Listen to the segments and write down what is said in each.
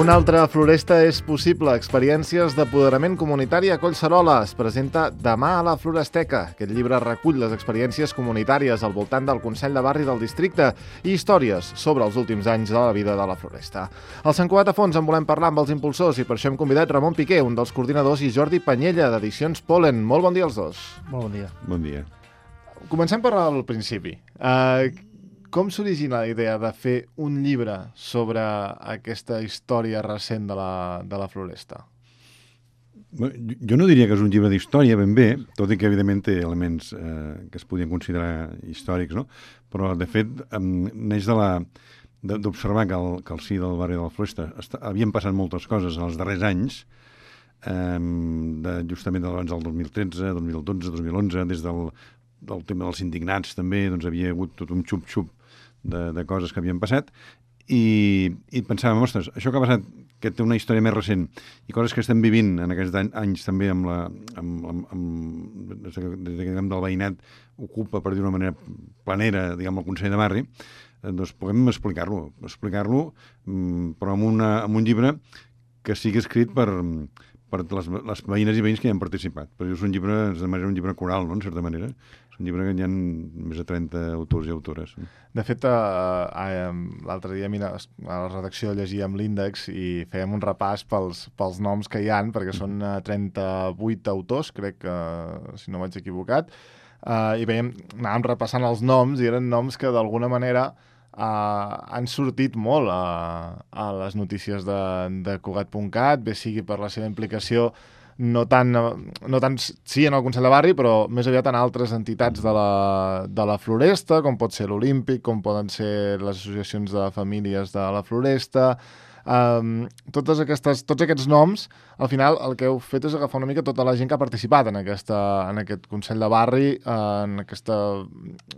Una altra floresta és possible. Experiències d'apoderament comunitari a Collserola. Es presenta Demà a la Floresteca. Aquest llibre recull les experiències comunitàries al voltant del Consell de Barri del districte i històries sobre els últims anys de la vida de la floresta. Al Sant Cugat a fons en volem parlar amb els impulsors i per això hem convidat Ramon Piqué, un dels coordinadors, i Jordi Panyella, d'Edicions Pol·len. Molt bon dia als dos. Molt bon dia. Bon dia. Comencem per al principi. Com s'origina la idea de fer un llibre sobre aquesta història recent de la floresta? Jo no diria que és un llibre d'història ben bé, tot i que evidentment té elements que es podien considerar històrics, no? Però de fet neix d'observar que al si del barri de la floresta havien passat moltes coses en els darrers anys, justament abans del 2013, 2012, 2011, des del tema dels indignats també, doncs havia hagut tot un xup-xup de coses que havien passat i pensàvem, ostres, això que ha passat, que té una història més recent i coses que estem vivint en aquests anys també des que del veïnat ocupa, per dir d'una manera planera, diguem, el Consell de Barri, doncs puguem explicar-lo, però amb un llibre que sigui escrit per les veïnes i veïns que hi han participat. Però és un llibre, un llibre coral, no?, en certa manera. És un llibre que hi ha més de 30 autors i autores. De fet, l'altre dia a la redacció llegíem l'índex i fèiem un repàs pels noms que hi han, perquè són 38 autors, crec que, si no vaig equivocat, i anàvem repassant els noms i eren noms que d'alguna manera han sortit molt a les notícies de Cugat.cat, bé sigui per la seva implicació no tant sí en el Consell de Barri, però més aviat en altres entitats de la floresta, com pot ser l'Olímpic, com poden ser les associacions de famílies de la floresta. Tots aquests noms, al final el que heu fet és agafar una mica tota la gent que ha participat en aquest Consell de Barri, en aquesta,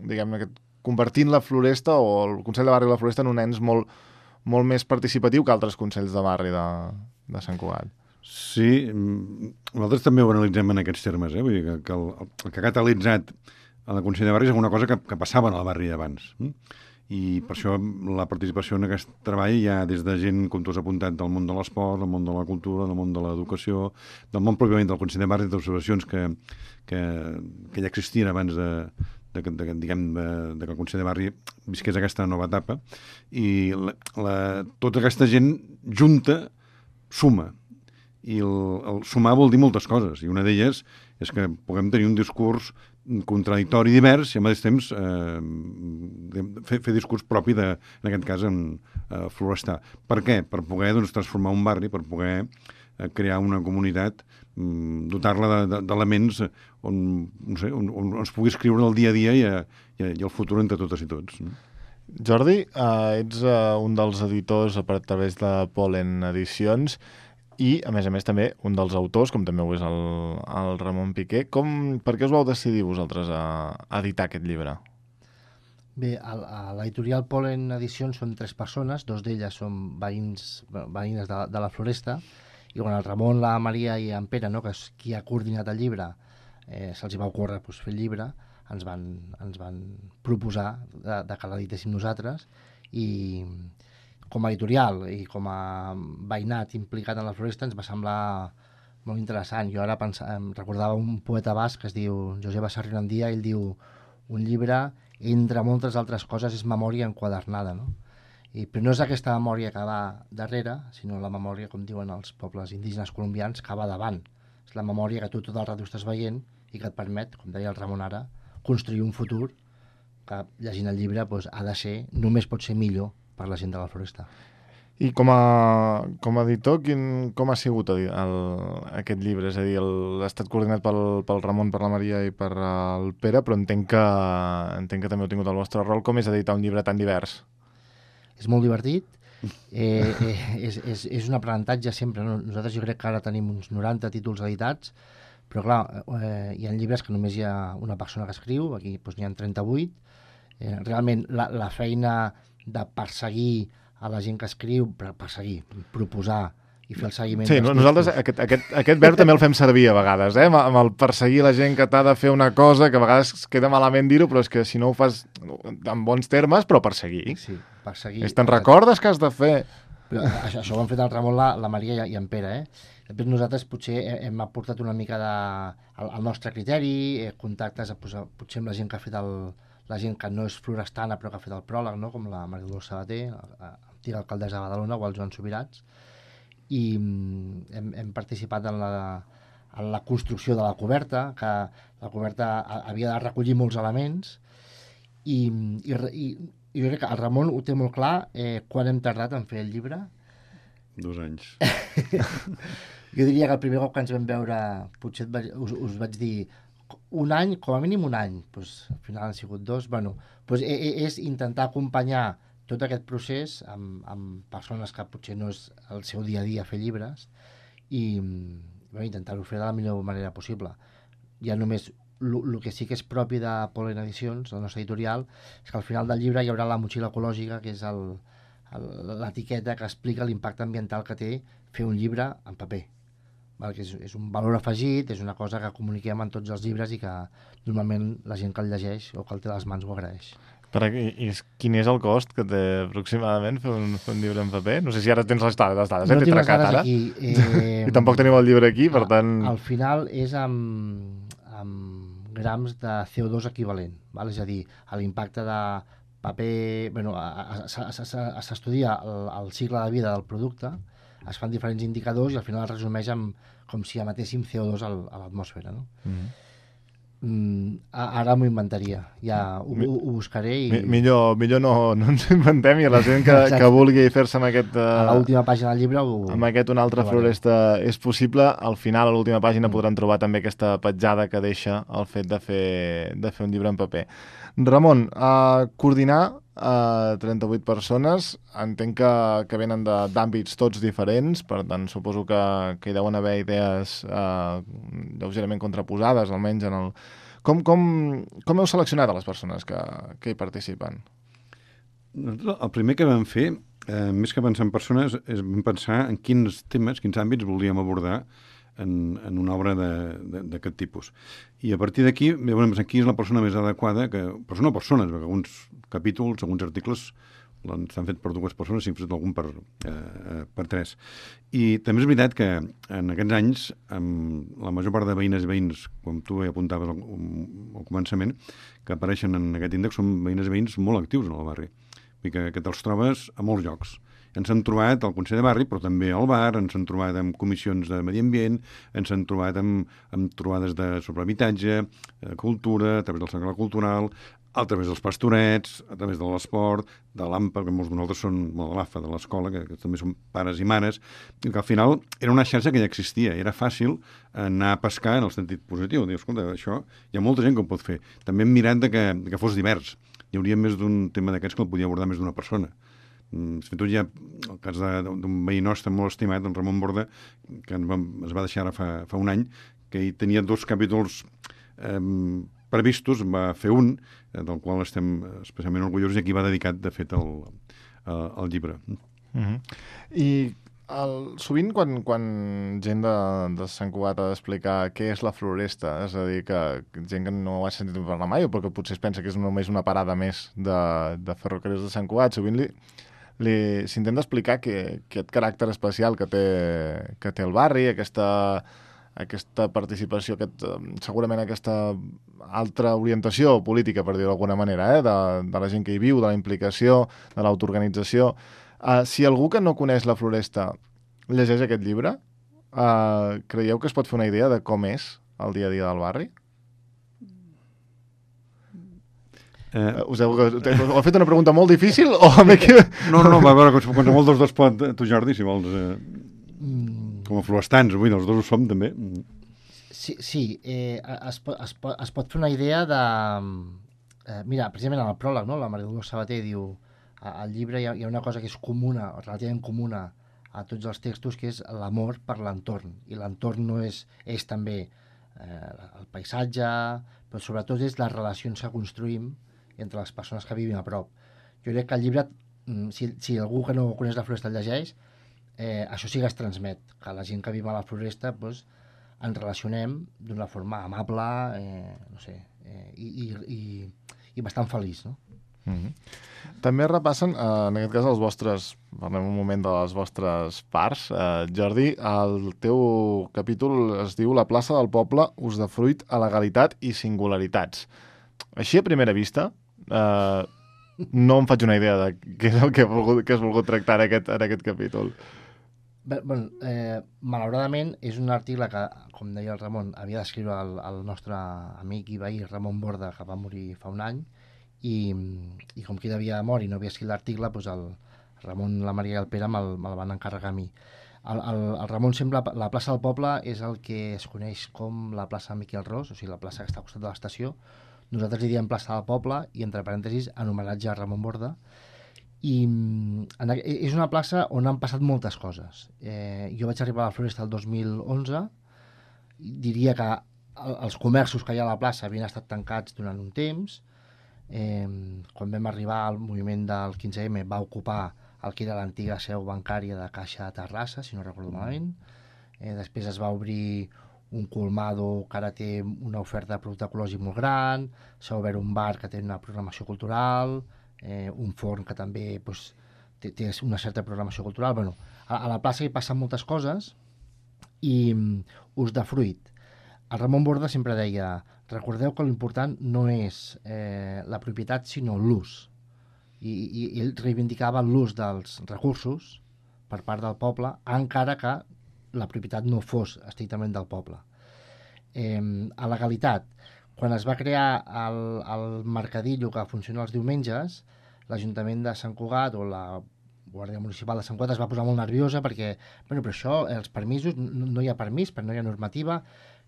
diguem-ne, convertint la floresta o el Consell de Barri de la Floresta en un ens molt, molt més participatiu que altres consells de barri de Sant Cugat. Sí, nosaltres també ho analitzem en aquests termes, vull dir que el que ha catalitzat el Consell de Barri és alguna cosa que passava en el barri abans. I per això la participació en aquest treball hi ha des de gent, com tu has apuntat, del món de l'esport, del món de la cultura, del món de l'educació, del món pròpiament del Consell de Barri, d'observacions que ja existien abans que el Consell de Barri visqués aquesta nova etapa, i tota aquesta gent junta suma, i el sumar vol dir moltes coses, i una d'elles és que puguem tenir un discurs contradictori i divers i al mateix temps fer discurs propi en aquest cas florestar. Per què? Per poder transformar un barri, per poder crear una comunitat, dotar-la d'elements on es pugui escriure el dia a dia i el futur entre totes i tots. Jordi, ets un dels editors a través de Pol·len Edicions i, a més també, un dels autors, com també ho és el Ramon Piqué. Per què us vau decidir vosaltres a editar aquest llibre? Bé, a l'editorial Pol·len Edicions són 3 persones, 2 d'elles són veïnes de la floresta, i quan el Ramon, la Maria i en Pere, que és qui ha coordinat el llibre, se'ls va ocórrer fer el llibre, ens van proposar de que l'editéssim nosaltres, i com a editorial i com a veïnat implicat en la floresta ens va semblar molt interessant. Jo ara recordava un poeta basc que es diu Joseba Sarrionandia, ell diu: un llibre, entre moltes altres coses, és memòria enquadernada, no? Però no és aquesta memòria que va darrere, sinó la memòria, com diuen els pobles indígenes colombians, que va davant. És la memòria que tu tot el rato estàs veient i que et permet, com deia el Ramon ara, construir un futur que, llegint el llibre, ha de ser, només pot ser millor per la gent de la floresta. I com a editor, com ha sigut aquest llibre? És a dir, ha estat coordinat pel Ramon, per la Maria i per el Pere, però entenc que també heu tingut el vostre rol. Com és editar un llibre tan divers? És molt divertit, és un aprenentatge sempre. Nosaltres jo crec que ara tenim uns 90 títols editats, però clar, hi ha llibres que només hi ha una persona que escriu, aquí n'hi ha 38. Realment la feina de perseguir a la gent que escriu, proposar i fer el seguiment. Sí, nosaltres aquest verb també el fem servir a vegades, amb el perseguir la gent que t'ha de fer una cosa, que a vegades queda malament dir-ho, però és que si no ho fas en bons termes, però perseguir. Sí, perseguir. Te'n recordes que has de fer? Però això ho han fet el Ramon, la Maria i en Pere, Després nosaltres potser hem aportat una mica al nostre criteri, contactes potser amb la gent que ha fet la gent que no és florestana però que ha fet el pròleg, no? Com la Maria Dolors Sabater, antiga alcaldessa de Badalona, o el Joan Subirats, i hem participat en la construcció de la coberta, que la coberta havia de recollir molts elements, i jo crec que el Ramon ho té molt clar. Quan hem tardat en fer el llibre? 2 anys. Jo diria que el primer cop que ens vam veure potser us vaig dir 1 any, com a mínim 1 any. Pues, al final han sigut 2. Bueno, pues, és intentar acompanyar tot aquest procés amb persones que potser no és el seu dia a dia fer llibres i intentar-ho fer de la millor manera possible. Ja només el que sí que és propi de Polen Edicions, la nostra editorial, és que al final del llibre hi haurà la motxilla ecològica, que és l'etiqueta que explica l'impacte ambiental que té fer un llibre en paper. Que és un valor afegit, és una cosa que comuniquem en tots els llibres i que normalment la gent que el llegeix o que el té a les mans ho agraeix. Quin és el cost que té aproximadament fer un llibre en paper? No sé si ara tens les dades, no tinc les dades aquí. I tampoc tenim el llibre aquí, per tant... Al final és amb grams de CO2 equivalent, és a dir, l'impacte de paper... S'estudia el cicle de vida del producte, es fan diferents indicadors i al final es resumeix com si emetéssim CO2 a l'atmosfera. No? Ara m'ho inventaria, ja ho buscaré. Millor no ens inventem, i la gent que vulgui fer-se amb aquest... A l'última pàgina del llibre amb aquest Una altra floresta és possible. Al final, a l'última pàgina, podran trobar també aquesta petjada que deixa el fet de fer un llibre en paper. Ramon, coordinar 38 persones, entenc que venen d'àmbits tots diferents, per tant suposo que hi deuen haver idees lleugerament contraposades, almenys en el... Com heu seleccionat a les persones que hi participen? El primer que vam fer, més que pensar en persones, és pensar en quins temes, quins àmbits volíem abordar en una obra d'aquest tipus. I a partir d'aquí, aquí és la persona més adequada, però no persones, perquè alguns capítols, alguns articles s'han fet per 2 persones, s'han fet algun per 3. I també és veritat que en aquests anys, amb la major part de veïnes i veïns, com tu apuntaves al començament, que apareixen en aquest índex, són veïnes i veïns molt actius en el barri. Vull dir que te'ls trobes a molts llocs. Ens han trobat al Consell de Barri, però també al bar, ens han trobat amb comissions de medi ambient, ens han trobat amb trobades sobre habitatge, cultura, a través del Cercle Cultural, a través dels pastorets, a través de l'esport, de l'AMPA, que molts de nosaltres són de l'AFA, de l'escola, que també són pares i mares, i que al final era una xarxa que ja existia, era fàcil anar a pescar en el sentit positiu. Dius, escolta, això hi ha molta gent que ho pot fer. També hem mirat que fos divers. Hi hauria més d'un tema d'aquests que el podia abordar més d'una persona. Fins i tot hi ha el cas d'un veí nostre molt estimat, en Ramon Borda, que es va deixar ara fa 1 any, que hi tenia 2 capítols previstos, va fer un, del qual estem especialment orgullosos, i aquí va dedicat, de fet, el llibre. I sovint quan gent de Sant Cugat ha d'explicar què és la floresta, és a dir, que gent que no ho ha sentit parlar mai, o perquè potser es pensa que és només una parada més de ferrocarrils de Sant Cugat, sovint s'intenta explicar aquest caràcter especial que té el barri, aquesta participació, segurament aquesta altra orientació política, per dir-ho d'alguna manera, de la gent que hi viu, de la implicació, de l'autoorganització. Si algú que no coneix la floresta llegeix aquest llibre, creieu que es pot fer una idea de com és el dia a dia del barri? Us heu fet una pregunta molt difícil o... No, va veure, qualsevol dels 2 pot, tu Jordi, si vols, com a florestans, avui els 2 ho som també. Sí, es pot fer una idea de... Mira, precisament en el pròleg, no? La Maria Dolors Sabater diu, al llibre hi ha una cosa que és comuna, relativament comuna a tots els textos, que és l'amor per l'entorn, i l'entorn no és també el paisatge, però sobretot és les relacions que construïm entre les persones que vivim a prop. Jo crec que el llibre, si algú que no coneix la floresta el llegeix, això sí que es transmet, que la gent que viu a la Floresta doncs, ens relacionem d'una forma amable, no sé, i bastant feliç, no? També repassen, en aquest cas, els vostres... Parlem un moment de les vostres parts. Jordi, el teu capítol es diu La plaça del poble, usdefruit a legalitat i singularitats. Així, a primera vista, no em faig una idea de què és el que has volgut tractar en aquest capítol. Bé, bueno, malauradament és un article que, com deia el Ramon, havia d'escriure el nostre amic i veí Ramon Borda, que va morir fa un any, i com que ell havia mort i no havia escrit l'article, doncs el Ramon, la Maria i el Pere me'l van encarregar a mi. El Ramon sembla... La plaça del poble és el que es coneix com la plaça Miquel Ros, o sigui, la plaça que està al costat de l'estació. Nosaltres li diem plaça del poble i, entre parèntesis, en homenatge a Ramon Borda. I és una plaça on han passat moltes coses. Jo vaig arribar a la Floresta el 2011, diria que els comerços que hi ha a la plaça havien estat tancats durant un temps. Quan vam arribar al moviment del 15M va ocupar el que era l'antiga seu bancària de Caixa de Terrassa, si no recordo malament. Després es va obrir un colmado que ara té una oferta de producte ecològic molt gran, s'ha obert un bar que té una programació cultural, un forn que també doncs, té una certa programació cultural. Bueno, a la plaça hi passen moltes coses i usdefruit. El Ramon Borda sempre deia: recordeu que l'important no és la propietat sinó l'ús. I ell reivindicava l'ús dels recursos per part del poble, encara que la propietat no fos estrictament del poble. A legalitat, quan es va crear el mercadillo que funciona els diumenges, l'Ajuntament de Sant Cugat o la Guàrdia Municipal de Sant Cugat es va posar molt nerviosa perquè, bueno, però això, els permisos, no hi ha permís, però no hi ha normativa.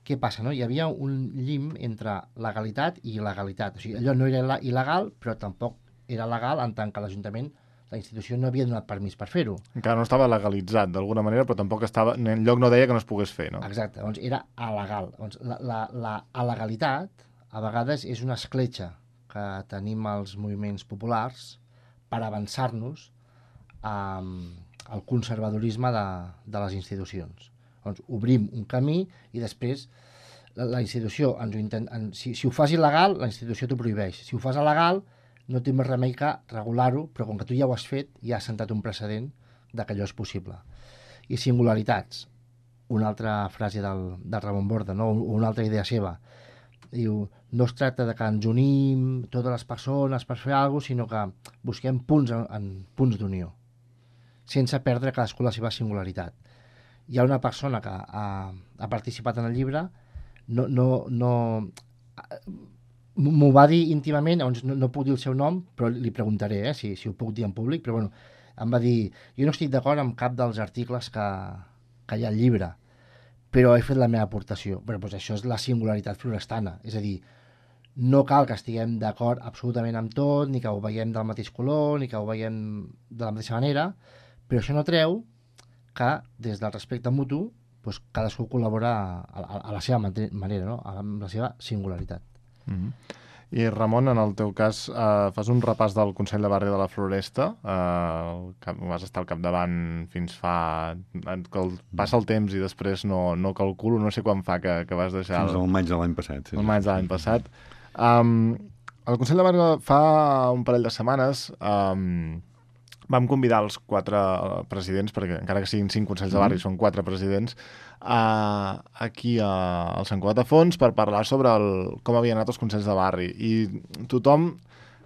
Què passa, no? Hi havia un llim entre legalitat i il·legalitat. O sigui, allò no era il·legal, però tampoc era legal en tant que l'Ajuntament, la institució, no havia donat permís per fer-ho. Encara no estava legalitzat d'alguna manera, però tampoc estava... Enlloc no deia que no es pogués fer, no? Exacte, doncs era alegal. Doncs la alegalitat, a vegades, és una escletxa que tenim els moviments populars per avançar-nos al conservadorisme de les institucions. Doncs obrim un camí i després la institució si ho fas il·legal, la institució t'ho prohibeix. Si ho fas legal, no té més remei que regular-ho, però com que tu ja ho has fet, ja has sentat un precedent de que allò és possible. I singularitats, una altra frase del Ramon Borda, no? Una altra idea seva. Diu, no es tracta de que ens unim totes les persones per fer alguna cosa, sinó que busquem punts d'unió, sense perdre cadascú la seva singularitat. Hi ha una persona que ha participat en el llibre, m'ho va dir íntimament, no puc dir el seu nom, però li preguntaré si ho puc dir en públic, però bueno, em va dir, jo no estic d'acord amb cap dels articles que hi ha al llibre, però he fet la meva aportació. Però doncs això és la singularitat florestana, és a dir, no cal que estiguem d'acord absolutament amb tot, ni que ho veiem del mateix color, ni que ho veiem de la mateixa manera, però això no treu que des del respecte mutu doncs cadascú col·labora a la seva manera, no? Amb la seva singularitat. I Ramon, en el teu cas, fas un repàs del Consell de Barri de la Floresta, vas estar al capdavant fins fa... Passa el temps i després no calculo, no sé quan fa que vas deixar... Fins al maig de l'any passat. El maig de l'any passat. El Consell de Barri fa un parell de setmanes vam convidar els 4 presidents, perquè encara que siguin 5 Consells de Barri, són 4 presidents, aquí al Sant Cugat de Fons per parlar sobre com havien anat els Consells de Barri. I tothom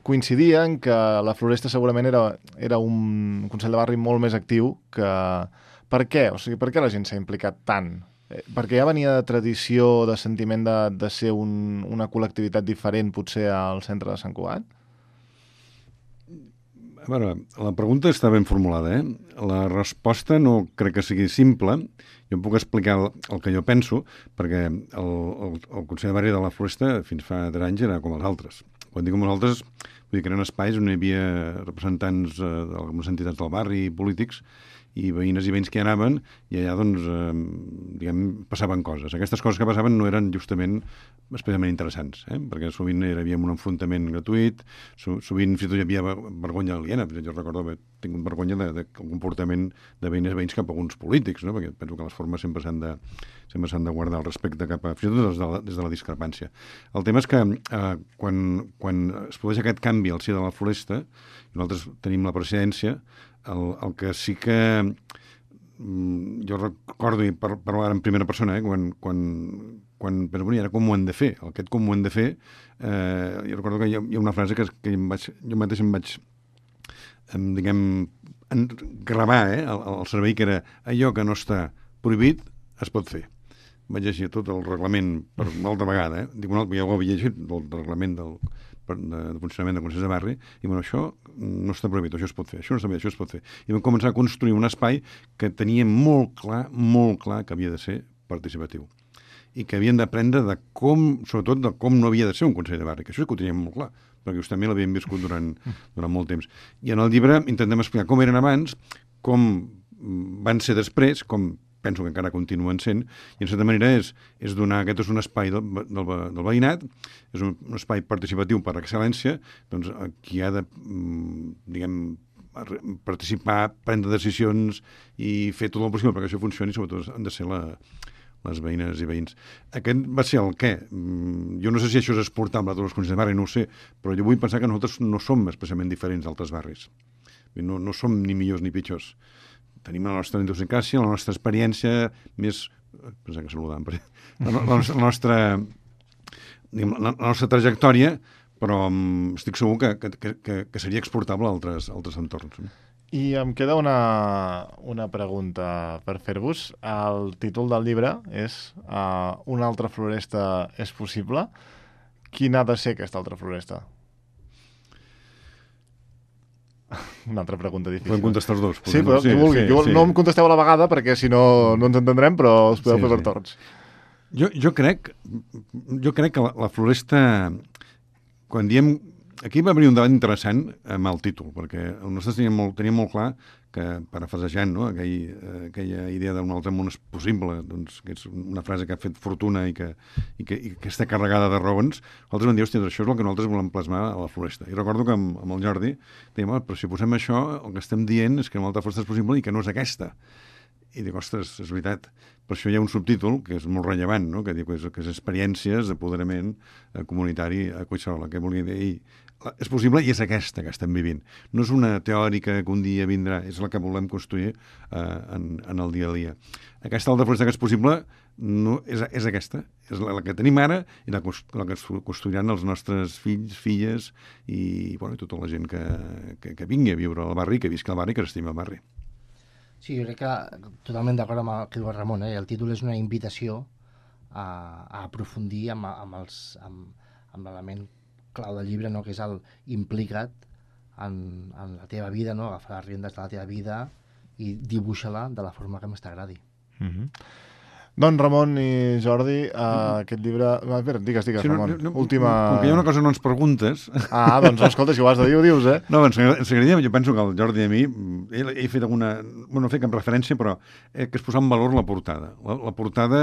coincidia en que la Floresta segurament era un Consell de Barri molt més actiu que... Per què? O sigui, per què la gent s'ha implicat tant? Perquè ja venia de tradició, de sentiment de ser una col·lectivitat diferent potser al centre de Sant Cugat? A veure, la pregunta està ben formulada, La resposta no crec que sigui simple. Jo em puc explicar el que jo penso, perquè el Consell de Barri de la Floresta fins fa 3 anys era com els altres. Quan dic com els altres, vull dir que eren espais on hi havia representants d'algunes entitats del barri, polítics, i veïnes i veïns que hi anaven, i allà, doncs, passaven coses. Aquestes coses que passaven no eren justament especialment interessants, perquè sovint hi havia un enfrontament gratuït, sovint fins i tot hi havia vergonya aliena. Jo recordo haver tingut vergonya del comportament de veïnes i veïns cap a alguns polítics, no? Perquè penso que les formes sempre s'han de guardar el respecte cap a, fins i tot des de la discrepància. El tema és que quan es produeix aquest canvi al si de la Floresta, nosaltres tenim la presidència, el que sí que jo recordo, i parlar en primera persona, quan era com ho hem de fer. Aquest com ho hem de fer, jo recordo que hi ha una frase que jo mateix em vaig gravar el cervell, que era allò que no està prohibit es pot fer. Vaig llegir tot el reglament per una altra vegada, dic, ja ho havia llegit, el reglament de funcionament de Consells de Barri, i bueno, això no està prohibit, això es pot fer, això no està bé, això es pot fer. I vam començar a construir un espai que tenia molt clar que havia de ser participatiu. I que havien d'aprendre sobretot de com no havia de ser un Consell de Barri, que això sí que ho teníem molt clar, perquè justament l'havíem viscut durant molt temps. I en el llibre intentem explicar com eren abans, com van ser després, com penso que encara continuen sent, i en certa manera és donar, aquest és un espai del veïnat, és un espai participatiu per excel·lència, doncs qui ha de, participar, prendre decisions i fer tot el possible perquè això funcioni, sobretot han de ser les veïnes i veïns. Aquest va ser el què. Jo no sé si això és exportable a tots els consells de barri, no ho sé, però jo vull pensar que nosaltres no som especialment diferents d'altres barris. No som ni millors ni pitjors. Tenim la nostra idiosincràsia, la nostra experiència més... Pensava que saludàvem, la nostra trajectòria, però estic segur que seria exportable a altres entorns. I em queda una pregunta per fer-vos. El títol del llibre és Una altra floresta és possible. Quina ha de ser aquesta altra floresta? Una altra pregunta difícil. Podem contestar els dos. Sí, però qui vulgui. No em contesteu a la vegada perquè si no ens entendrem, però us podeu fer per torns. Jo crec que la floresta, quan diem... Aquí va haver un debat interessant amb el títol, perquè nosaltres teníem molt clar que, parafrasejant, no? aquella idea d'un altre món és possible, doncs, que és una frase que ha fet fortuna i que està carregada de raons, nosaltres vam dir, hòstia, això és el que nosaltres volem plasmar a la floresta. I recordo que amb el Jordi dèiem, però si posem això, el que estem dient és que una altra floresta és possible i que no és aquesta. I dic, ostres, és veritat. Per això hi ha un subtítol que és molt rellevant, no? Que diu que és experiències d'apoderament comunitari a Collserola, que volia dir, és possible i és aquesta que estem vivint. No és una teòrica que un dia vindrà, és la que volem construir en el dia a dia. Aquesta altra floresta que és possible és aquesta, és la que tenim ara i la que construiran els nostres fills, filles i tota la gent que vingui a viure al barri, que visca al barri, que s'estima al barri. Sí, jo crec que totalment d'acord amb el que diu el Ramon. El títol és una invitació a aprofundir amb l'element clau del llibre, no? Que és implica't en la teva vida, no? Agafar les riendes de la teva vida i dibuixa-la de la forma que més t'agradi. Doncs Ramon i Jordi, aquest llibre... Digues, Ramon. Última... Com que hi ha una cosa que no ens preguntes... Doncs escolta, si ho has de dir, ho dius, eh? No, ens agradaria, jo penso que el Jordi i a mi, he fet alguna... Bueno, no he fet cap referència, però que es posa en valor la portada. La portada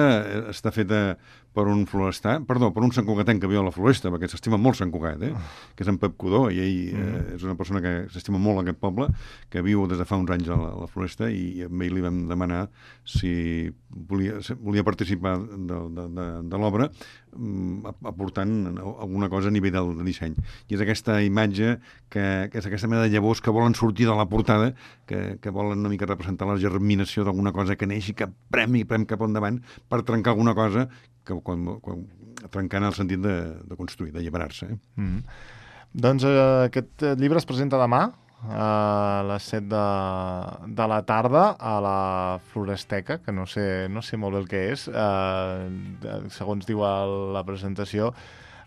està feta per un florestà, per un santcugatenc que viu a la Floresta, perquè s'estima molt Sant Cugat, que és en Pep Codó, i ell és una persona que s'estima molt aquest poble, que viu des de fa uns anys a la Floresta, i amb ell li vam demanar si volia participar de l'obra aportant alguna cosa a nivell del disseny. I és aquesta imatge, que és aquesta mena de llavors que volen sortir de la portada, que volen una mica representar la germinació d'alguna cosa que neix i que prem cap endavant per trencar alguna cosa que trencant el sentit de construir, d'alliberar-se. Doncs aquest llibre es presenta demà a les 7 de la tarda a la Floresteca, que no sé molt bé el que és, segons diu la presentació.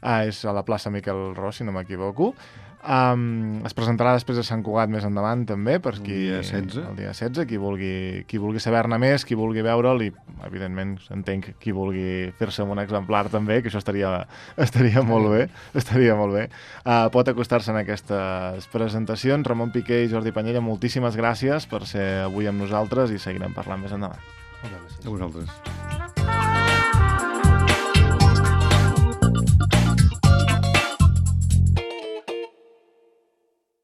és a la plaça Miquel Ros, si no m'equivoco. Es presentarà després a Sant Cugat més endavant també, per qui, El dia 16. El dia 16, qui vulgui saber-ne més, qui vulgui veure'l, i evidentment entenc qui vulgui fer-se amb un exemplar també, que això estaria molt bé, pot acostar-se en aquestes presentacions. Ramon Piqué i Jordi Panyella, moltíssimes gràcies per ser avui amb nosaltres i seguirem parlant més endavant. Moltes gràcies. A vosaltres.